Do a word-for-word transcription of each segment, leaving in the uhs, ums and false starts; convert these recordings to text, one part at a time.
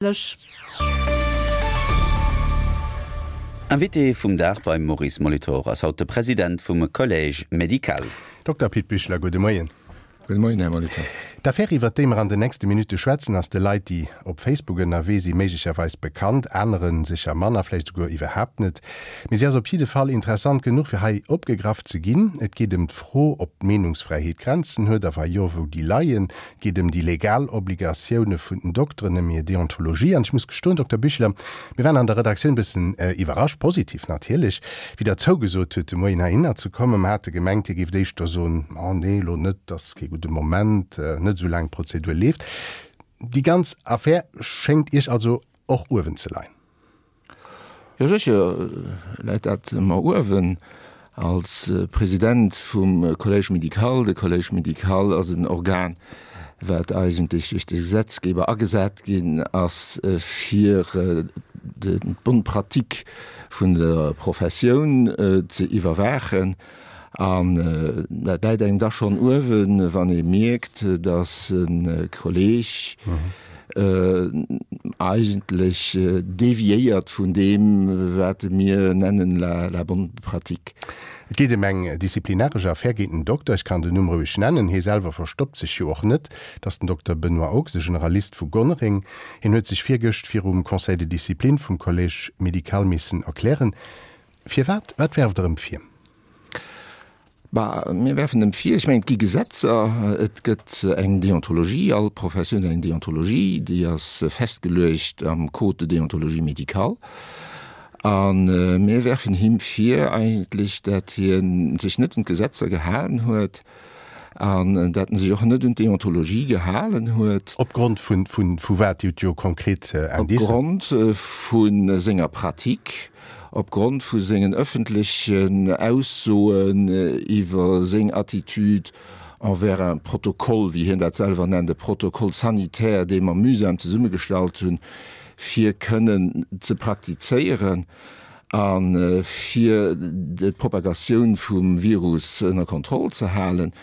Lech. Invité vum Dag beim Maurice Molitor ass haut de President vum Collège médical. Dokter Pit Bichler, gudde Moien. Gudde Moien, Här Molitor. D'Affär, iwwert déi mer an den nächste Minutte schwätzen, ass de Leit, déi op Facebook ënnerwee si méiglecherweis bekannt, anere sécher manner, vläicht esouguer iwwerhaapt net. Mee si ass op jidde Fall interessant genuch, fir hei opgegraff ze ginn. Et geet ëm d'Fro, ob d'Meenungsfräiheet Grenzen huet a wa jo, wou déi leien. Et geet ëm déi legal Obligatioune vun den Dokteren, ëm hir Deontologie. An ech muss gestoen, Dokter Büchler, mir waren an der Redaktioun e bëssen iwwerrascht, positiv natierlech, wéi Der zougesot hutt, de Moien heihinner ze kommen. Mer hate gemengt, Dir géift éischter soen, Oh nee, elo net, dat ass kee gudde Moment, net esou laang d'Prozedur leeft. Déi ganz Affär schéngt Iech also och uewen ze leien. Jo sécher läit dat mer uewen. Als President vum Collège médical, de Collège médical ass en Organ, wat eigentlech duerch de Gesetzgeber agesat ginn ass, fir d'bonne pratique vun der Professioun ze iwwerwaachen. An dat läit engem da schonn uewen, wann ee mierkt, datt e Kolleeg eigentlech deviéiert vun deem, wat mir nennen la bonne pratique. Et geet ëm eng disziplinaresch Affär géint en Dokter. Ech kann den Numm roueg nennen, hie selwer verstoppt sech jo och net. Et ass den Dokter Benoît Ochs, e Generalist vu Gonnereng. Hien huet sech virgëscht virum Conseil de discipline vum Collège médical missen erklären. Firwat? Wat werft Der ëm vir? Bah, mir werfen em vir, ech mengen, et gi Gesetzer, et gëtt eng Deontologie, all Professioun huet eng Deontologie, déi ass festgeluecht am Code de déontologie médicale. A mir werfen him vir eigentlech, dat hie sech net un d'Gesetzer gehalen huet an dat en sech och net un d'Deontologie gehalen huet. Opgrond vu wat? Dir hutt jo konkret Indicen. Opgrond vu senger Pratique. Opgrond vu sengen ëffentlechen Aussoen iwwer seng Attitude envers un protocole, wéi hien dat selwer nennt, e Protocole sanitaire, dee mer mühsam zesummegestallt hunn, fir kënnen ze praktizéieren a fir d'Propagatioun vum Virus ënner Kontroll ze halen,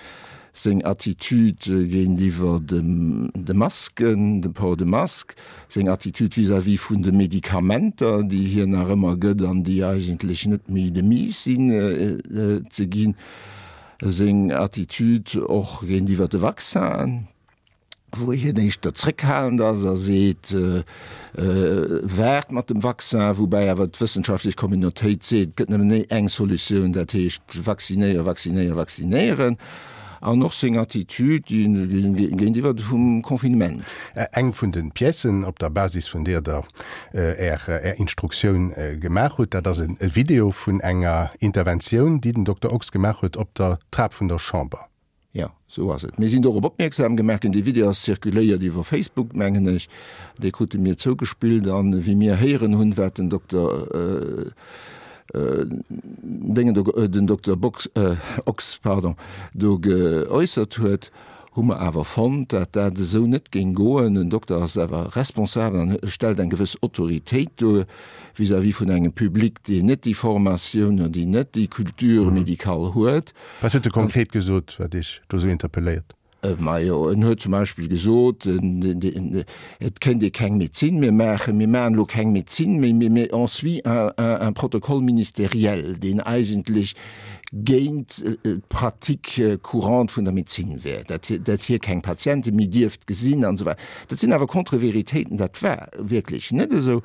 seng Attitude géintiwwer de Masken, dem Port de masque, seng Attitude vis-à-vis vun de Medikamenter, déi hien nach ëmmer gëtt an déi eigentlech net méi de mise sinn ze ginn, seng Attitude och géintiwwer de Vaccinen, wou hien éischter zréckhalend ass a seet, Waart mat dem Vaccin, woubäi awer d'wëssenschaftlech Communautéit seet, et gëtt nëmmen eng Solutioun, dat heescht vaccinéieren, vaccinéieren, vaccinéieren. An och seng Attitude géintiwwer vum Confinement. Eng vun de Piècen, op der Basis vun deer Der Är Instruktioun gemaach hutt, dat ass e Video vun enger Interventioun, déi den Dokter Ochs gemaach huet op der Trap vun der Chamber. Jo, esou ass et. Mir sinn dorop opmierksam gemaach ginn. Dee Video ass zirkuléiert iwwer Facebook, mengen ech. Dee krute mir zougespillt. An wéi mir héieren hunn, wat den Dokter Déngen do, den Dokter Box, Ochs, pardon, do geäussert huet, hu mer awer fonnt, dat dat esou net géing goen. En Dokter ass awer responsabel an stellt eng gewëss Autoritéit duer vis-à-vis vun engem Public, deen net déi Formatioun an déi net déi Culture médicale huet. Wat huet e konkret gesot, wat Iech do esou interpelléiert? Majo, en huet zum Beispill gesot, et kéint ee keng Medezin méi maachen, mir maachen elo keng Medezin méi, mee on suit un protocole ministériel, deen eigentlech géint d'Pratique courante vun der Medezin wär, dat hie keng Patiente méi dierft gesinn an esou weider. Dat sinn awer Contre-véritéiten, dat war wierklech net esou.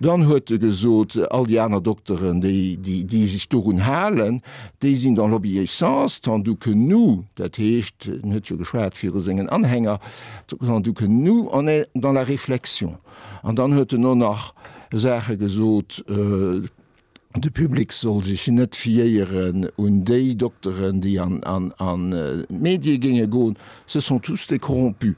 Dann huet e gesot, all déi aner Dokteren, déi sech dorun halen, déi sinn dans l'obéissance, tandis que nous, dat heescht, en huet jo geschwat viru sengen Anhänger, tandis que nous, on est dans la réflexion. An dann huet en och nach Saache gesot, De Public soll sech net fiéieren un déi Dokteren, déi an d'Medie géinge goen, ce sont tous des corrompus.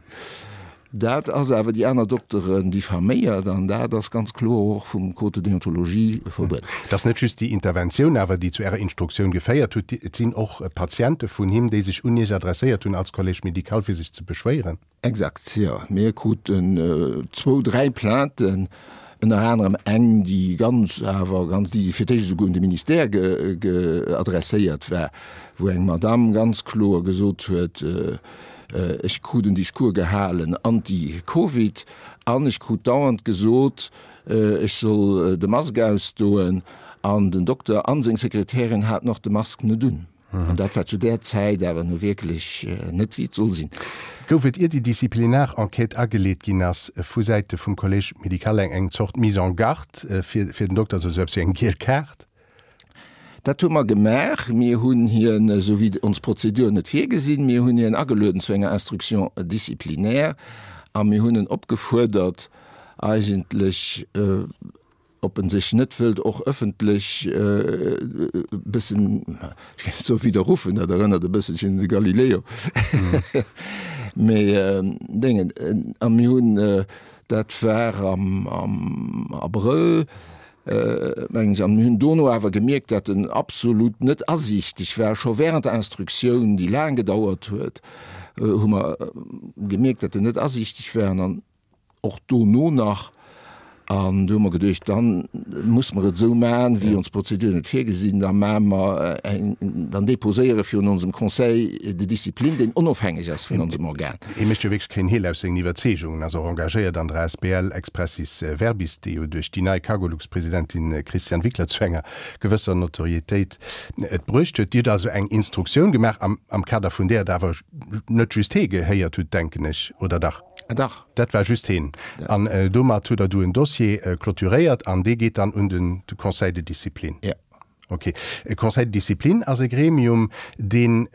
Dat ass awer déi aner Dokteren diffaméiert an dat ass ganz kloer och vum Code de déontologie verbueden. Et ass net just déi Interventioun awer, déi zu Ärer Instruktioun geféiert hutt. Et sinn och Patiente vun him, déi sech un Iech adresséiert hunn als Collège médical, fir sech ze beschwéieren. Exakt, jo. Mir kruten zwou, dräi Plainten, ënner anerem eng, déi ganz awer ganz, déi fir d'éischt esouguer un de Ministère ge, ge adresséiert war, wou eng Madame ganz kloer gesot huet, Ech krut en Discours gehalen anti-Covid an ech krut dauernd gesot, ech soll de Mask ausdoen an den Dokter an seng Sekretärin haten och de Mask net un. An dat war zu där Zäit awer nu wierklech net wéi et soll sinn. Gouf et, ier déi Disziplinar-Enquête ageleet ginn ass, vu Säite vum Collège médical eng eng Zort Mise en garde fir fir den Dokter, also esou eppes wéi eng giel Kaart? Dat hu mer gemaach. Mir hunn hien, esou wéi ons Prozeduren et virgesinn, mir hunn hien agelueden zu enger Instruction disciplinaire a mir hunn en opgefuerdert, eigentlech, ob en sech net wëllt och ëffentlech e bëssen, ech géif net soe widderruffen, dat erënnert e bësselchen un de Galileo, mee Déngen. A mir hunn, dat war am Abrëll, mengen ech, an mir hunn dono awer gemierkt, datt en absolut net asiichteg war. Scho während der Instruktioun, déi laang gedauert huet, hu mer gemierkt, datt en net asiichteg war. An dann och dono nach. An du hu mer geduecht, da muss mer et esou maachen, wéi ons Prozeduren et virgesinn, da maache mer eng, dann déposéiere virun onsem Conseil de discipline, deen onofhängeg ass vun onsem Organ. Hie mécht jo wierklech keen Heel aus sengen Iwwerzeegungen, ass och engagéiert an der asbl Expressis Verbis, déi jo duerch déi nei Cargolux-Presidentin Christiane Wickler zu enger gewësser Notorietéit et bruecht huet. Dir hutt also eng Instruktioun gemaach, am Kader vun där Der awer net just hee gehéiert hutt, denken ech, oder dach? Dach. Dat war just heen. An domat hutt Der du en Dossier clôturéiert an dee geet dann un den Conseil de discipline. Jo. Okay. E Conseil de discipline ass e Gremium, dee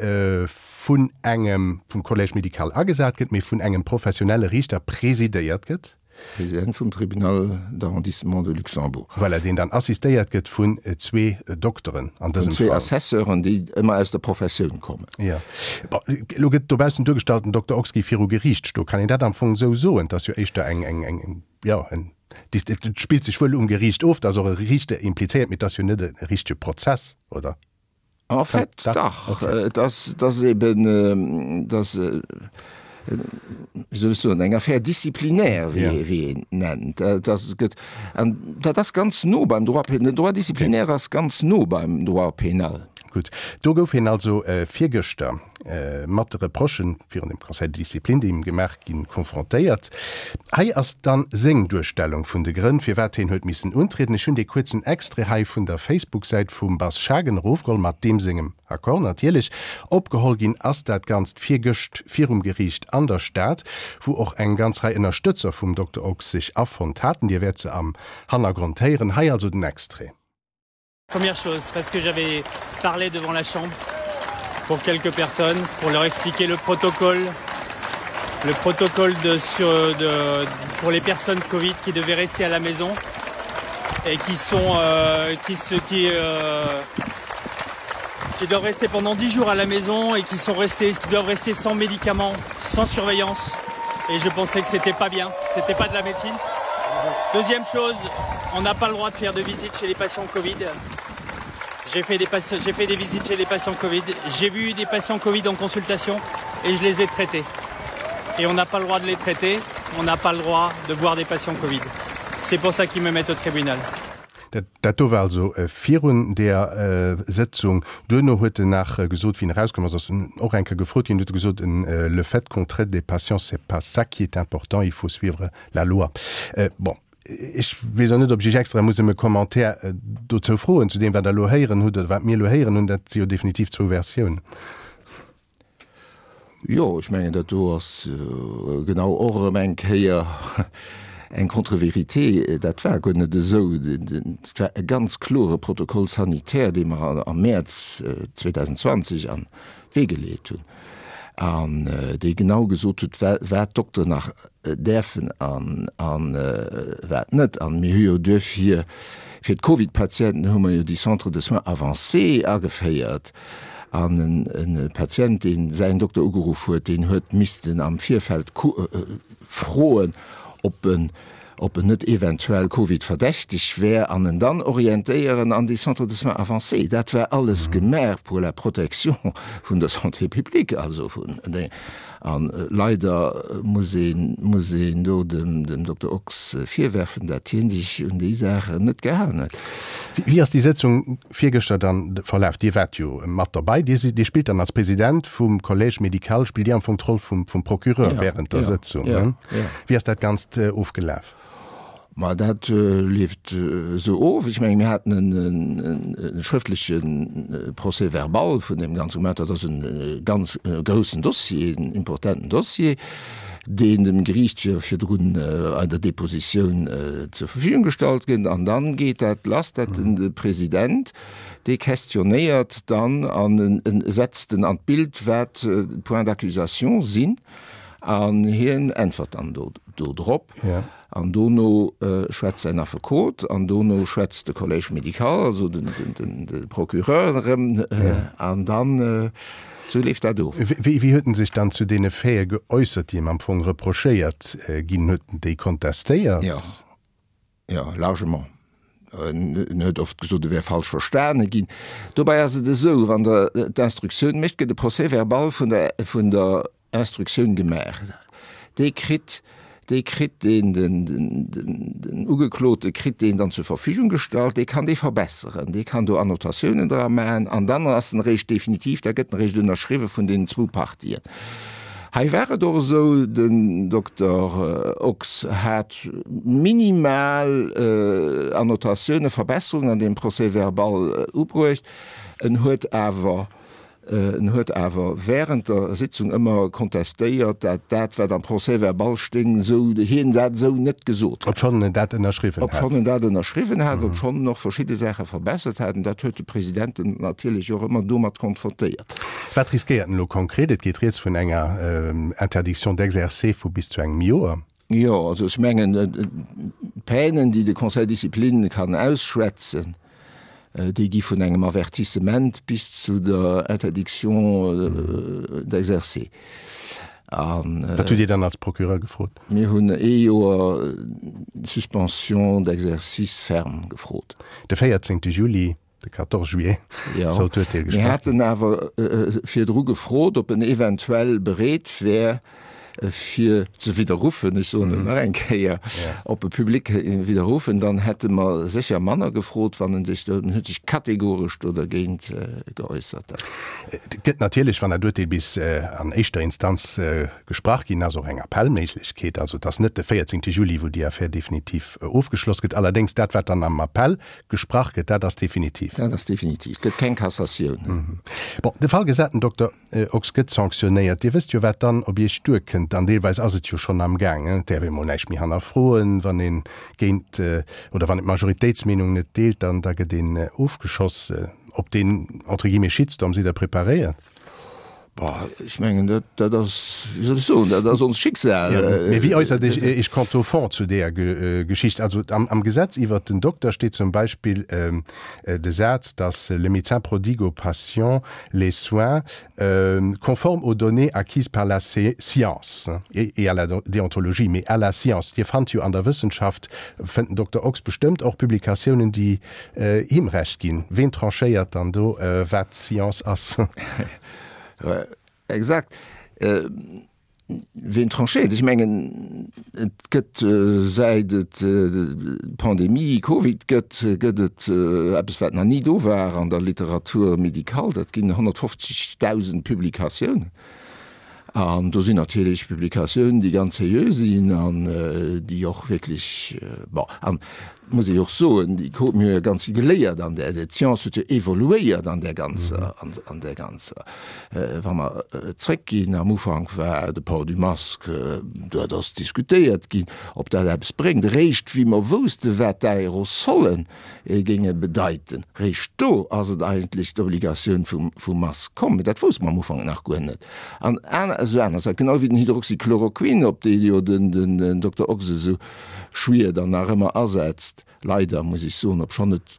vun engem, vum Collège médical agesat gëtt, mee vun engem professionelle Riichter presidéiert gëtt. President vum Tribunal d'arrondissement de Luxembourg. Voilà, deen dann assistéiert gëtt vun zwee Dokteren an dësem Fall. Vun zwee Assesseuren, déi ëmmer aus der Professioun kommen. Jo. Bon, elo gëtt dobaussen duergestallt, den Dokter Ochs géif viru Geriicht stoen. Kann een dat am Fong esou soen? Et ass jo éischter eng, eng, eng, jo, en, et spillt sech wuel um Geriicht of, et ass och e Riichter implizéiert, mee et ass jo net e richtege Prozess, oder? En fait, dach. Et ass, et ass eben, et ass, wéi soll ech soen, eng Affaire disciplinaire, wéi, wéi een et nennt. Et ass, gëtt, an dat ass ganz no beim Droit pénal. Den Droit disciplinaire ass ganz no beim Droit pénal. Gutt, do gouf hien also virgëschter mat de Reprochen virun dem Conseil de discipline, déi him gemaach ginn, konfrontéiert. Hei ass dann seng Duerstellung vun de Grënn, firwat hien huet missen untrieden. Ech hunn dee kuerzen Extrait hei vun der Facebook-Säit vum Bas Schagen erofgeholl, mat deem sengem Accord natierlech. Opgeholl ginn ass dat Ganzt virgëscht virum Geriicht an der Stad, wou och eng ganz Rei Ënnerstëtzer vum Dokter Ochs sech afonnt haten. Dir wäert se am Hannergrond héieren. Hei also den Extrait. Première chose, parce que j'avais parlé devant la chambre pour quelques personnes, pour leur expliquer le protocole, le protocole de, sur, de, pour les personnes Covid qui devaient rester à la maison et qui sont euh, qui se qui euh, qui doivent rester pendant dix jours à la maison et qui sont restés qui doivent rester sans médicaments, sans surveillance et je pensais que c'était pas bien, c'était pas de la médecine. Deuxième chose, on n'a pas le droit de faire de visite chez les patients Covid. J'ai fait, des fait des visites chez les patients Covid. J'ai vu des patients Covid en consultation et je les ai traités. Et on n'a pas le droit de les traiter, on n'a pas le droit de voir des patients Covid. C'est pour ça qu'ils me mettent au tribunal. Dat do war also virun där Sëtzung. Duerno huet en nach gesot, wéi en erauskomm ass, ass en och eng Kéier gefrot ginn, huet e gesot, Le fait qu'on traite des patients, c'est pas ça qui est important, il faut suivre la loi. Bon, ech weess och net, ob ech Iech extra muss ëm e Commentaire dozou froen, zu deem, wat Der elo héieren hutt oder wat mir elo héieren hunn. Dat si jo definitiv zwou Versiounen. Jo, ech mengen, dat do ass genau och erëm eng Kéier eng Contre-vérité. Dat war guer net esou. Et war e ganz klore Protocole sanitaire, dee mer am Mäerz zweedausendzwanzeg an d'Wee geleet hunn an dee genau gesot huet, wat d'Dokteren nach däerfen a wat net. A mir hu jo duerfir fir d'Covid-Patienten hu mer jo déi Centres de soins avancés ageféiert. An e Patient, dee säin Dokter ugeruff huet, deen huet missten am Virfeld froen, ob en ob en net eventuell Covid-verdächteg wär, an en dann orientéieren an déi Centres de soins avancés. Dat war alles gemaach pour la protection vun der Santé publique, also vun de. An leider muss een muss een do dem dem Dokter Ochs virwerfen, dat hien sech un déi Saachen net gehalen huet. Wéi ass déi Sëtzung virgëschter dann verlaf? Dir waart jo mat derbäi. Dir sidd, Dir spillt dann als President vum Collège médical, spillt Dir am Fong d'Roll vum, vum Procureur während der Sëtzung, ne? Wéi ass dat Ganzt ofgelaf? Ma dat leeft esou of. Ech menge mir haten e schrëftleche Procès-verbal vun deem ganze gemaach. Dat ass e ganz groussen Dossier, en importenten Dossier, deen dem Geriicht virdrun an der Depositioun zur Verfügung gestallt gëtt. An dann geet dat lass, dat de President, dee questionnéiert dann an e setzt en an d'Bild, wat d'Points d'accusation sinn. An hien äntwert dann do drop. An dono schwätzt säin Affekot an dono schwätzt de Collège médical, also de Procureur erëm. An dann, esou leeft dat of. Wéi huet en sech dann zu deene Faite geäussert, déi him am Fong reprochéiert ginn? Huet en déi kontestéiert? Jo, jo, largement. En huet oft gesot, e wär falsch verstane ginn. Dobäi ass et esou, wann Der d'Instruktioun mécht, gëtt e Procès-verbal vun der, vun der Instruktioun gemaach. Dee kritt, dee kritt deen, den, den, den Ugeklote kritt deen dann zur Verfügung gestallt. Dee kann dee verbesseren, dee kann do Annotatiounen dra maachen an dann ass en eréischt definitiv, da gëtt en eréischt ënnerschriwwe vun deenen zwou Partien. Hei war et och esou, den Dokter Ochs hat minimal Annotatiounen, Verbesserungen an deem Procès-verbal ubruecht. En huet awer, en huet awer während der Sitzung ëmmer kontestéiert, dat dat, wat am Procès-verbal stéing, esou hien dat esou net gesot hätt. Obschonn en dat ënnerschriwwen hat. Obschonn en dat ënnerschriwwen hat, obschonn en och verschidde Saache verbessert hat. An dat huet de President en natierlech och ëmmer domat konfrontéiert. Wat riskéiert en elo konkret? Et geet rieds vun enger Interdiction d'exercer vu bis zu engem Joer. Jo, also ech mengen, d'Peinen, déi de Conseil de discipline kann ausschwätzen, déi gi vun engem Avertissement bis zu der Interdiction d'exercer. Wat hutt Dir dann als Procureur gefrot? Mir hunn ee Joer Suspension d'exercice ferme gefrot. De véierzéngte Juli. De quatorze juillet soll d'Urteel gesprach ginn. Mir haten awer virdru gefrot, ob en eventuell bereet wär, fir ze widderruffen, ech soen et nach eng Kéier, op e public widderruffen. Dann hätte mer sécher manner gefrot, wann en sech, en huet sech kategoresch do dergéint geäussert. Et gëtt natierlech, wann dat Urteel bis an éischter Instanz gesprach ginn ass, och eng Appellméiglechkeet. Also et ass net de véierzéngte Juli, wou déi Affär definitiv ofgeschloss gëtt. Allerdéngs dat, wat dann am Appell Gesprach gëtt, dat ass definitiv. Dat ass definitiv. Et gëtt keng Cassatioun. Bon, de Fall gesat, den Dokter Ochs gëtt sanctionéiert. Dir wësst jo, wat dann op Iech duerkënnt. An deelweis ass et jo schonn am Gaang. Et däerf ee mol näischt méi hannerfroen, wann ee géint oder wann een d'Majoritéitsmeenung net deelt, dann da gëtt een ofgeschoss. Op deen, entre guillemets, Shitstorm sidd Der preparéiert? Bah, ech mengen, dat, dat ass, wéi soll ech soen, dat ass onst Schicksal. Ja, mee wéi äussert Iech Iech quant au fond zu deeër Geschicht? Also am, am Gesetz iwwert den Dokter steet zum Beispill de Saz, dass le médecin prodigue au patient les soins conformes aux données acquises par la science et à la déontologie, mais à la science. Dir fannt jo an der Wëssenschaft, fënnt den Dokter Ochs bestëmmt och Publikatiounen, déi him Recht ginn. Ween tranchéiert dann do, wat Science ass? Exakt. Ween tranchéiert? Ech mengen, et gëtt, säit et d'Pandemie Covid gëtt, gëtt et eppes, wat nach ni do war an der Literatur médicale, dat ginn honnertfofzegdausend Publikatiounen. An do sinn natierlech Publikatiounen, déi ganz seriö sinn an déi och wierklech, bon, an et muss ee jo och soen, déi krute mir jo ganz vill geléiert an där, d'Science huet jo evoluéiert an där ganzer, an där ganzer, wa mer zréckginn, am Ufank war de Port du masque, dat ass diskutéiert ginn, ob dat eppes bréngt. Eréischt wéi mer wousste wat d'Aerosolle géinge bedeiten, réischt do ass et eigentlech d'Obligatioun vum, vum Masque komm. Mee dat wousste mer am Ufank nach guer net. An aner, esou aner Saachen, genau wéi den Hydroxychloroquin, op dee jo den, den Dokter Ochs esou schwiert an nach ëmmer asetzt, leider muss ech soen, obschonn et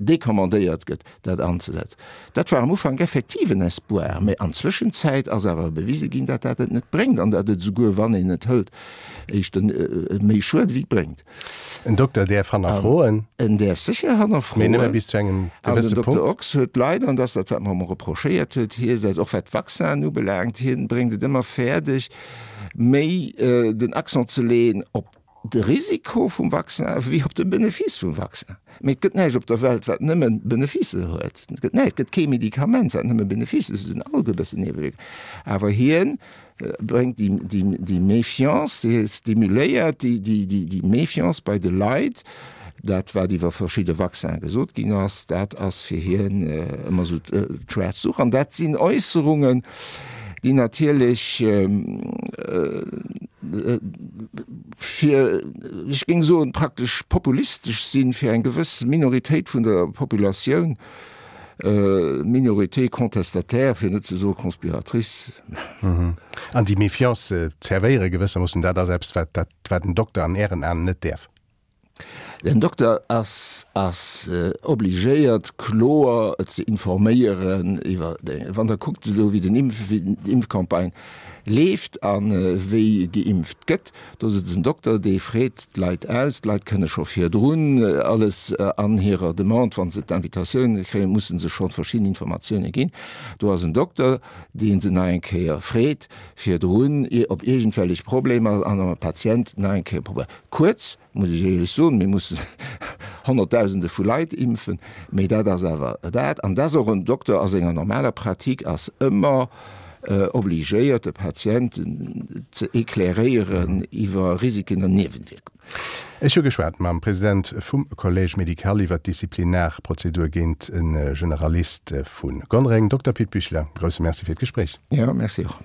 decommandéiert gëtt, dat anzesetzen. Dat war am Ufank effektiv en Espoir, mä an Zwëschenzäit ass awer bewise ginn, dat dat et net bréngt an dat et esouguer, wann een et hëlt, éischter méi schued wéi et bréngt. En Dokter däerf hannerfroen. En däerf sécher hannerfroen. Mee nëmme bis zu engem gewësse Punkt. An den Dokter Ochs huet leider, an dat ass dat, wat mer him reprochéiert huet, hie setzt, och wat d'Vaccinen ubelaangt, hien bréngt et ëmmer fäerdeg, méi den Accent ze leeën op de Risiko vum Vaccin wéi op de Benefice vum Vaccin. Mee et gëtt näischt op der Welt, wat nëmme Beneficë huet. Et gëtt näischt, et gëtt kee Medikament, wat nëmme Beneficë huet. Se hunn all e bëssen Niewewierkungen. Awer hien bréngt déi, déi, déi Méfiance, hie stimuléiert déi, déi, déi, déi Méfiance bei de Leit. Dat, wat iwwer verschidde Vaccinen gesot ginn ass, dat ass fir hien ëmmer esou d'schwaarz Duch. An dat sinn Äusserungen, déi natierlech fir, ech géing soen, praktesch populistesch sinn, fir eng gewëss Minoritéit vun der Populatioun, Minorité contestataire, fir net ze soe conspiratrice. An déi Méfiance zerwéiere gewëssermoossen, dat ass eppes, wat, wat en Dokter an Ären Aen net däerf. Den Dokter ass ass obligéiert kloer ze informéieren iwwer, wann Der kuckt elo wéi den Impf, wéi d'Impfcampagne leeft a wéi geimpft gëtt, do ass et den Dokter dee freet d'Leit aus, d'Leit kënne scho virdrun alles an hirer Demande, wa se d'Invitatioun kréien, musse se scho verschidden Informatioune ginn. Do ass en Dokter dee se nach eng Kéier freet virdrun op iergendwellech Problemer an am Patient nach eng Kéier probéiert. Kuerz, muss ech éierlech soen, mir mussen Honnertdausende vu Leit impfen, mee dat ass awer dat. An dass och en Dokter a senger normaler Pratique ass ëmmer obligéiert, de Patienten ze éclairéieren iwwer Risiken an Niewenwierkungen. Ech hu geschwat mam President vum Collège médical iwwer d'Disziplinarprozedur géint e Generalist vu Gonnereng. Dokter Pit Büchler, grousse Merci fir d'Gespréich. Jo, Merci och.